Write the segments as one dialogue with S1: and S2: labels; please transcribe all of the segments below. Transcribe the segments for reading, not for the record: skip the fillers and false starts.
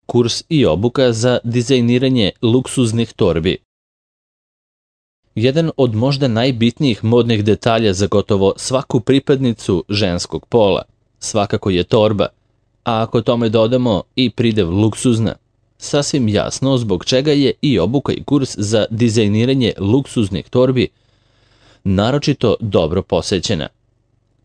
S1: Kurs i obuka za dizajniranje luksuznih torbi. Jedan od možda najbitnijih modnih detalja za gotovo svaku pripadnicu ženskog pola svakako je torba, a ako tome dodamo i pridev luksuzna, sasvim jasno zbog čega je i obuka i kurs za dizajniranje luksuznih torbi naročito dobro posećena.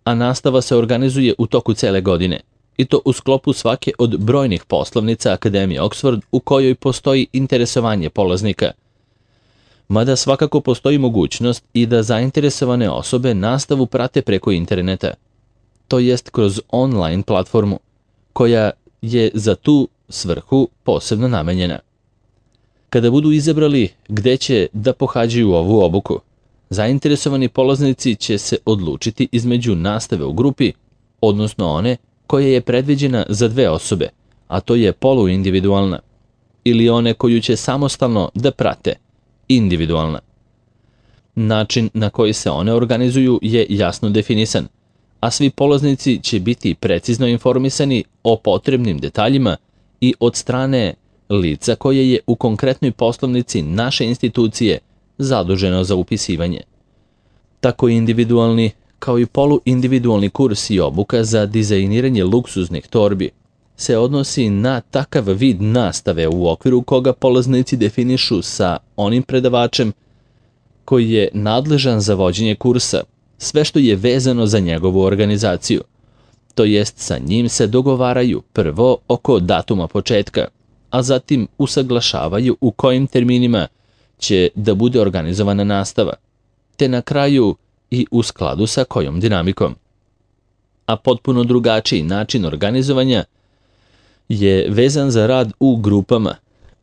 S1: A nastava se organizuje u toku cele godine, i to u sklopu svake od brojnih poslovnica Akademije Oxford u kojoj postoji interesovanje polaznika. Mada svakako postoji mogućnost i da zainteresovane osobe nastavu prate preko interneta, to jest kroz online platformu, koja je za tu svrhu posebno namenjena. Kada budu izabrali gde će da pohađaju ovu obuku, zainteresovani polaznici će se odlučiti između nastave u grupi, odnosno one koja je predviđena za 2 osobe, a to je poluindividualna, ili one koju će samostalno da prate, individualna. Način na koji se one organizuju je jasno definisan, a svi polaznici će biti precizno informisani o potrebnim detaljima i od strane lica koje je u konkretnoj poslovnici naše institucije zaduženo za upisivanje. Tako individualni kao i poluindividualni kurs i obuka za dizajniranje luksuznih torbi se odnosi na takav vid nastave u okviru koga polaznici definišu sa onim predavačem koji je nadležan za vođenje kursa sve što je vezano za njegovu organizaciju. To jest sa njim se dogovaraju prvo oko datuma početka, a zatim usaglašavaju u kojim terminima će da bude organizovana nastava, te na kraju i u skladu sa kojom dinamikom. A potpuno drugačiji način organizovanja je vezan za rad u grupama,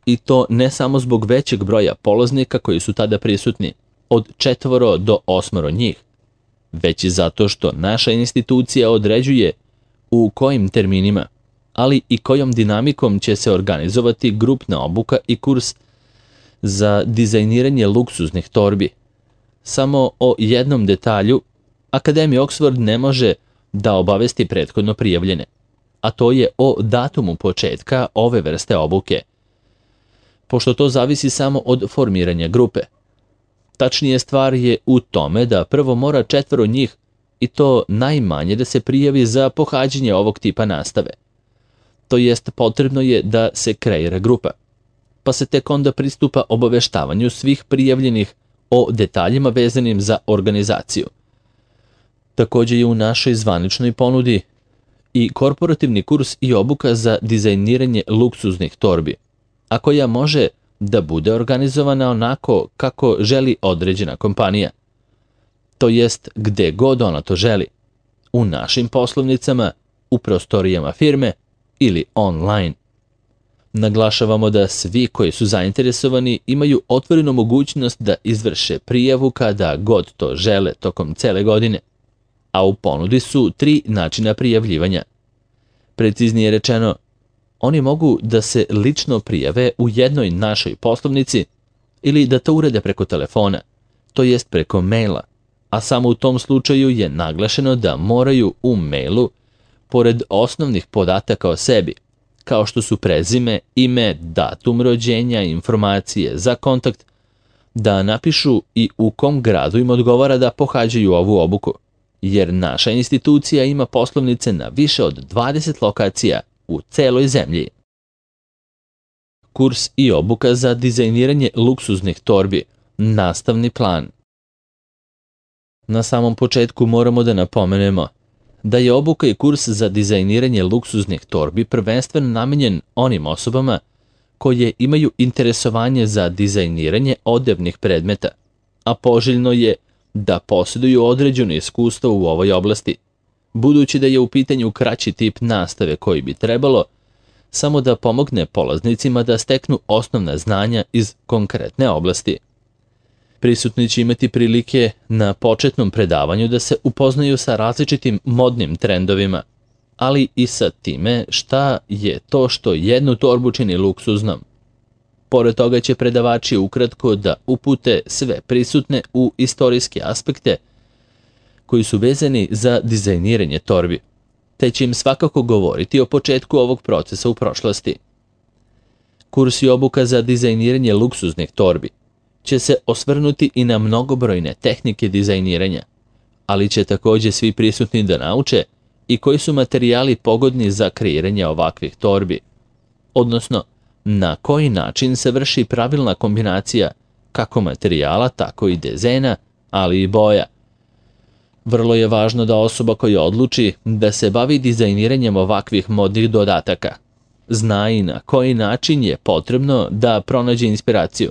S1: i to ne samo zbog većeg broja polaznika koji su tada prisutni, od 4 do 8 njih, već i zato što naša institucija određuje u kojim terminima, ali i kojom dinamikom će se organizovati grupna obuka i kurs za dizajniranje luksuznih torbi. Samo o jednom detalju Akademija Oxford ne može da obavesti prethodno prijavljene, a to je o datumu početka ove vrste obuke, pošto to zavisi samo od formiranja grupe. Tačnije, stvar je u tome da prvo mora 4 njih, i to najmanje, da se prijavi za pohađanje ovog tipa nastave. To jest, potrebno je da se kreira grupa, pa se tek onda pristupa obaveštavanju svih prijavljenih o detaljima vezanim za organizaciju. Također je u našoj zvaničnoj ponudi i korporativni kurs i obuka za dizajniranje luksuznih torbi, a koja može da bude organizovana onako kako želi određena kompanija. To jest gde god ona to želi, u našim poslovnicama, u prostorijama firme ili online. Naglašavamo da svi koji su zainteresovani imaju otvorenu mogućnost da izvrše prijavu kada god to žele tokom cele godine, a u ponudi su 3 načina prijavljivanja. Preciznije rečeno, oni mogu da se lično prijave u jednoj našoj poslovnici ili da to urede preko telefona, to jest preko maila, a samo u tom slučaju je naglašeno da moraju u mailu, pored osnovnih podataka o sebi, kao što su prezime, ime, datum rođenja, informacije za kontakt, da napišu i u kom gradu im odgovara da pohađaju ovu obuku, jer naša institucija ima poslovnice na više od 20 lokacija u celoj zemlji. Kurs i obuka za dizajniranje luksuznih torbi, nastavni plan. Na samom početku moramo da napomenemo da je obuka i kurs za dizajniranje luksuznih torbi prvenstveno namenjen onim osobama koje imaju interesovanje za dizajniranje odevnih predmeta, a poželjno je da posjeduju određeno iskustvo u ovoj oblasti, budući da je u pitanju kraći tip nastave koji bi trebalo samo da pomogne polaznicima da steknu osnovna znanja iz konkretne oblasti. Prisutni će imati prilike na početnom predavanju da se upoznaju sa različitim modnim trendovima, ali i sa time šta je to što jednu torbu čini luksuznom. Pored toga će predavači ukratko da upute sve prisutne u istorijske aspekte koji su vezani za dizajniranje torbi, te će im svakako govoriti o početku ovog procesa u prošlosti. Kurs i obuka za dizajniranje luksuznih torbi će se osvrnuti i na mnogobrojne tehnike dizajniranja, ali će također svi prisutni da nauče i koji su materijali pogodni za kreiranje ovakvih torbi, odnosno na koji način se vrši pravilna kombinacija kako materijala, tako i dizajna, ali i boja. Vrlo je važno da osoba koja odluči da se bavi dizajniranjem ovakvih modnih dodataka zna i na koji način je potrebno da pronađe inspiraciju.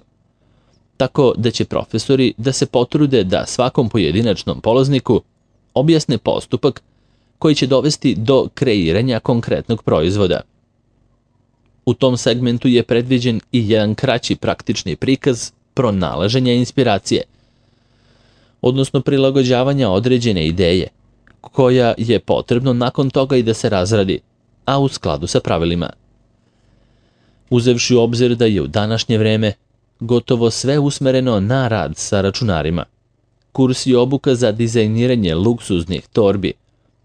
S1: Tako da će profesori da se potrude da svakom pojedinačnom polazniku objasne postupak koji će dovesti do kreiranja konkretnog proizvoda. U tom segmentu je predviđen i jedan kraći praktični prikaz pronalaženja inspiracije, odnosno prilagođavanja određene ideje, koja je potrebno nakon toga i da se razradi, a u skladu sa pravilima. Uzevši u obzir da je u današnje vreme gotovo sve usmereno na rad sa računarima, kurs i obuka za dizajniranje luksuznih torbi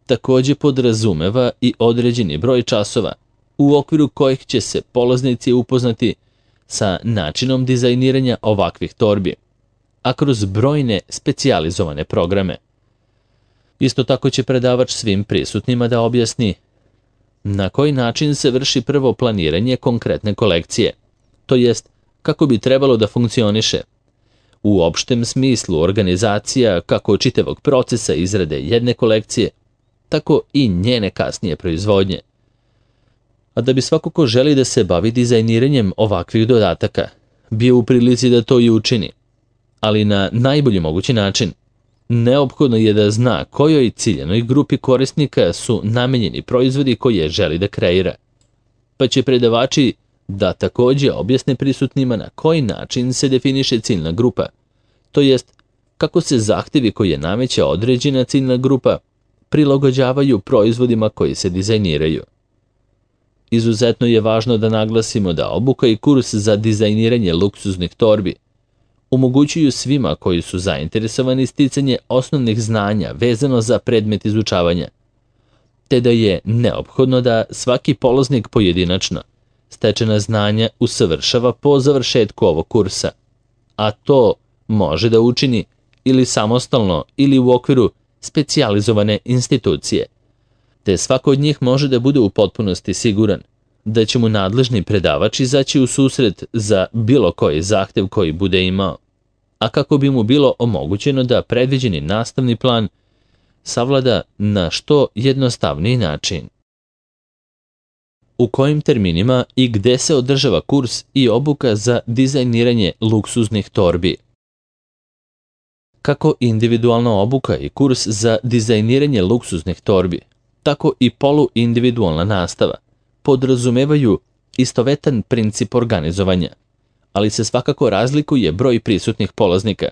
S1: također podrazumeva i određeni broj časova u okviru kojih će se polaznici upoznati sa načinom dizajniranja ovakvih torbi, a kroz brojne specijalizovane programe. Isto tako će predavač svim prisutnima da objasni na koji način se vrši prvo planiranje konkretne kolekcije, to jest kako bi trebalo da funkcioniše. U opštem smislu organizacija kako čitavog procesa izrade jedne kolekcije, tako i njene kasnije proizvodnje. A da bi svako ko želi da se bavi dizajniranjem ovakvih dodataka bio u prilici da to i učini, ali na najbolji mogući način, neophodno je da zna kojoj ciljanoj grupi korisnika su namenjeni proizvodi koje želi da kreira. Pa će predavači da također objasne prisutnima na koji način se definiše ciljna grupa, to jest kako se zahtjevi koje nameće određena ciljna grupa prilagođavaju proizvodima koji se dizajniraju. Izuzetno je važno da naglasimo da obuka i kurs za dizajniranje luksuznih torbi omogućuju svima koji su zainteresovani sticanje osnovnih znanja vezano za predmet izučavanja, te da je neophodno da svaki polaznik pojedinačno stečena znanja usavršava po završetku ovog kursa, a to može da učini ili samostalno ili u okviru specijalizovane institucije, te svako od njih može da bude u potpunosti siguran da će mu nadležni predavač izaći u susret za bilo koji zahtev koji bude imao, a kako bi mu bilo omogućeno da predviđeni nastavni plan savlada na što jednostavniji način. U kojim terminima i gde se održava kurs i obuka za dizajniranje luksuznih torbi? Kako individualna obuka i kurs za dizajniranje luksuznih torbi, tako i poluindividualna nastava podrazumevaju istovetan princip organizovanja, ali se svakako razlikuje broj prisutnih polaznika,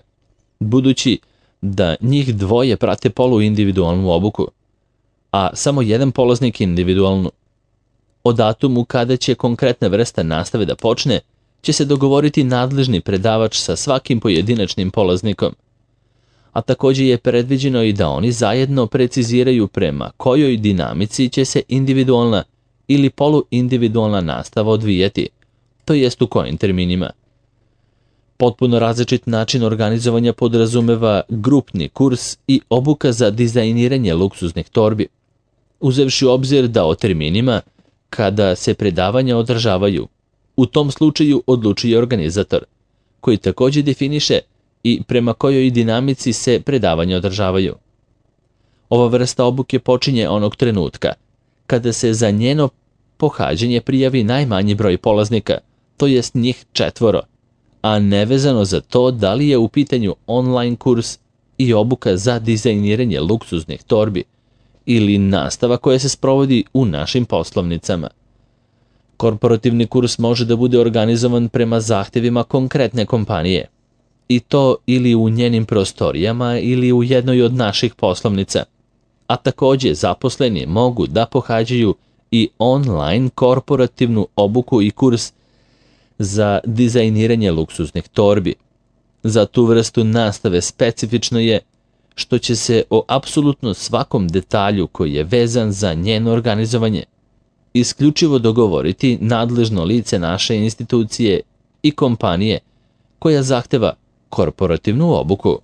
S1: budući da njih dvoje prate poluindividualnu obuku, a samo jedan polaznik individualnu. O datumu kada će konkretna vrsta nastave da počne, će se dogovoriti nadležni predavač sa svakim pojedinačnim polaznikom, a također je predviđeno i da oni zajedno preciziraju prema kojoj dinamici će se individualna ili poluindividualna nastava odvijati, to jest u kojim terminima. Potpuno različit način organizovanja podrazumeva grupni kurs i obuka za dizajniranje luksuznih torbi, uzevši u obzir da o terminima kada se predavanja održavaju, u tom slučaju odlučuje organizator, koji također definiše i prema kojoj dinamici se predavanja održavaju. Ova vrsta obuke počinje onog trenutka kada se za njeno pohađanje prijavi najmanji broj polaznika, to jest njih 4, a nevezano za to da li je u pitanju online kurs i obuka za dizajniranje luksuznih torbi ili nastava koja se sprovodi u našim poslovnicama. Korporativni kurs može da bude organizovan prema zahtjevima konkretne kompanije, i to ili u njenim prostorijama ili u jednoj od naših poslovnica, a također zaposleni mogu da pohađaju i online korporativnu obuku i kurs za dizajniranje luksuznih torbi. Za tu vrstu nastave specifično je što će se o apsolutno svakom detalju koji je vezan za njeno organizovanje isključivo dogovoriti nadležno lice naše institucije i kompanije koja zahteva korporativnu obuku.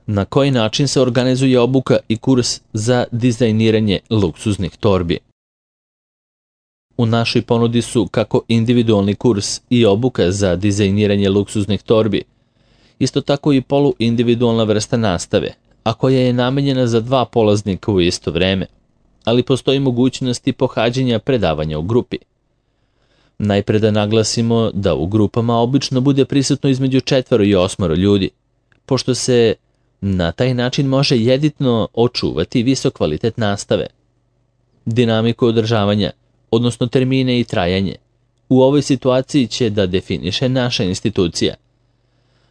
S1: Na koji način se organizuje obuka i kurs za dizajniranje luksuznih torbi? U našoj ponudi su kako individualni kurs i obuka za dizajniranje luksuznih torbi, isto tako i poluindividualna vrsta nastave, a koja je namenjena za 2 polaznika u isto vreme, ali postoji mogućnost i pohađanja predavanja u grupi. Najpre da naglasimo da u grupama obično bude prisutno između 4 i 8 ljudi, pošto se na taj način može jedino očuvati visok kvalitet nastave. Dinamiku održavanja, odnosno termine i trajanje, u ovoj situaciji će da definiše naša institucija.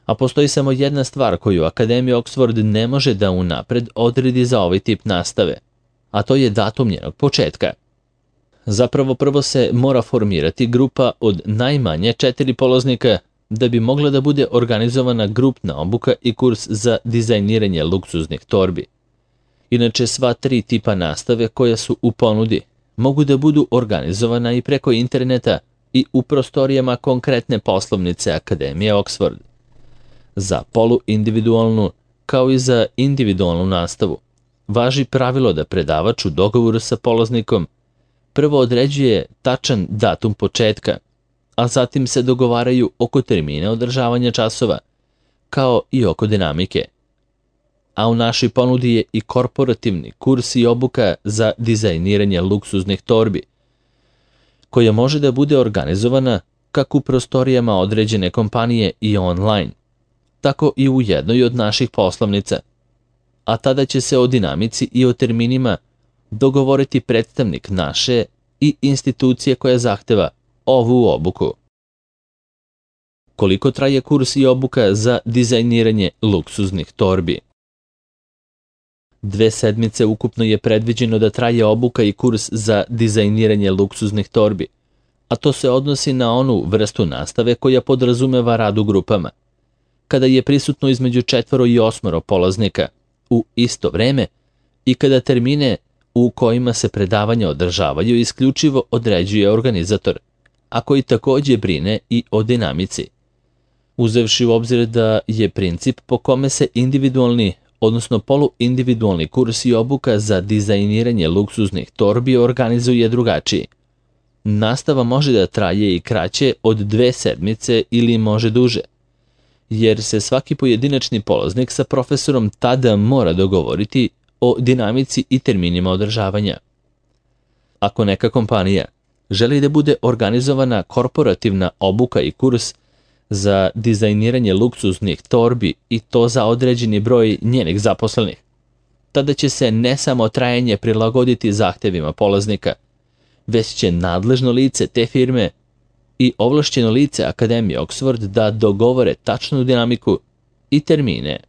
S1: A postoji samo jedna stvar koju Akademija Oxford ne može da unapred odredi za ovaj tip nastave, a to je datum njenog početka. Zapravo prvo se mora formirati grupa od najmanje 4 polaznika da bi mogla da bude organizovana grupna obuka i kurs za dizajniranje luksuznih torbi. Inače, sva 3 tipa nastave koja su u ponudi mogu da budu organizovana i preko interneta i u prostorijama konkretne poslovnice Akademije Oxford. Za poluindividualnu, kao i za individualnu nastavu, važi pravilo da predavač u dogovoru sa polaznikom prvo određuje tačan datum početka, a zatim se dogovaraju oko termina održavanja časova, kao i oko dinamike. A u našoj ponudi je i korporativni kurs i obuka za dizajniranje luksuznih torbi, koja može da bude organizovana kako u prostorijama određene kompanije i online, tako i u jednoj od naših poslovnica, a tada će se o dinamici i o terminima dogovoriti predstavnik naše i institucije koja zahteva ovu obuku. Koliko traje kurs i obuka za dizajniranje luksuznih torbi? 2 sedmice ukupno je predviđeno da traje obuka i kurs za dizajniranje luksuznih torbi, a to se odnosi na onu vrstu nastave koja podrazumeva rad u grupama, kada je prisutno između 4 i 8 polaznika u isto vreme i kada termine u kojima se predavanja održavaju isključivo određuje organizator, a koji takođe brine i o dinamici. Uzevši u obzir da je princip po kome se individualni, odnosno poluindividualni kurs i obuka za dizajniranje luksuznih torbi organizuje drugačiji. Nastava može da traje i kraće od 2 sedmice ili može duže, jer se svaki pojedinačni polaznik sa profesorom tada mora dogovoriti o dinamici i terminima održavanja. Ako neka kompanija želi da bude organizovana korporativna obuka i kurs za dizajniranje luksuznih torbi i to za određeni broj njenih zaposlenih, tada će se ne samo trajanje prilagoditi zahtevima polaznika, već će nadležno lice te firme i ovlašćeno lice Akademije Oxford da dogovore tačnu dinamiku i termine